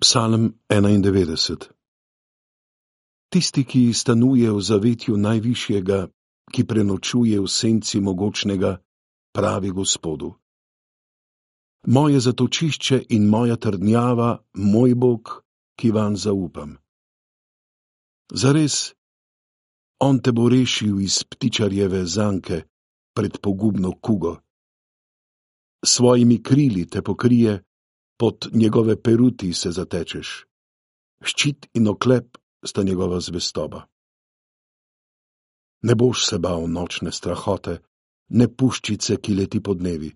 Psalm 91. Tisti, ki stanuje v zavetju Najvišjega, ki prenočuje v senci Mogočnega, pravi Gospodu: Moje zatočišče in moja trdnjava, moj Bog, ki vanj zaupam. Zares, on te bo rešil iz ptičarjeve zanke pred pogubno kugo. Svojimi krili te pokrije, pod njegove peruti se zatečeš. Ščit in oklep sta njegova zvestoba. Ne boš se bal nočne strahote, ne puščice, ki leti podnevi,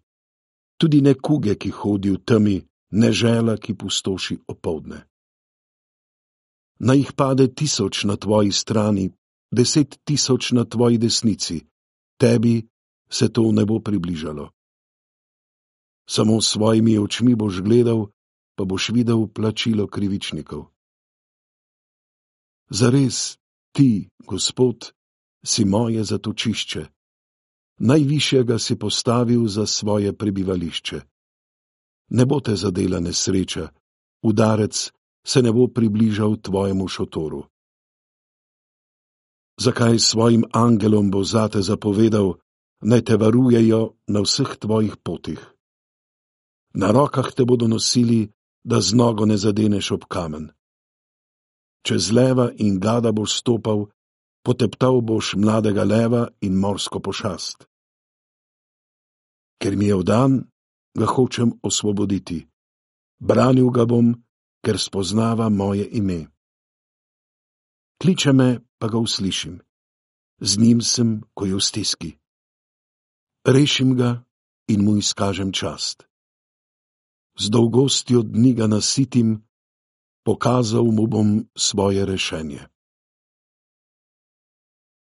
tudi ne kuge, ki hodi v temi, ne žela, ki pustoši opoldne. Naj jih pade 1000 na tvoji strani, 10 000 na tvoji desnici, tebi se to ne bo približalo. Samo s svojimi očmi boš gledal, pa boš videl plačilo krivičnikov. Zares, ti, Gospod, si moje zatočišče, Najvišjega si postavil za svoje prebivališče. Ne bo te zadela nesreča, udarec se ne bo približal tvojemu šotoru. Zakaj svojim angelom bo zate zapovedal, naj te varujejo na vseh tvojih potih? Na rokah te bodo nosili, da z nogo ne zadeneš ob kamen. Čez leva in gada boš stopal, poteptal boš mladega leva in morsko pošast. Ker mi je vdan, ga hočem osvoboditi. Branil ga bom, ker spoznava moje ime. Kliče me, pa ga uslišim. Z njim sem, ko je v stiski. Rešim ga in mu izkažem čast. Z dolgostjo dni ga nasitim, pokazal mu bom svoje rešenje.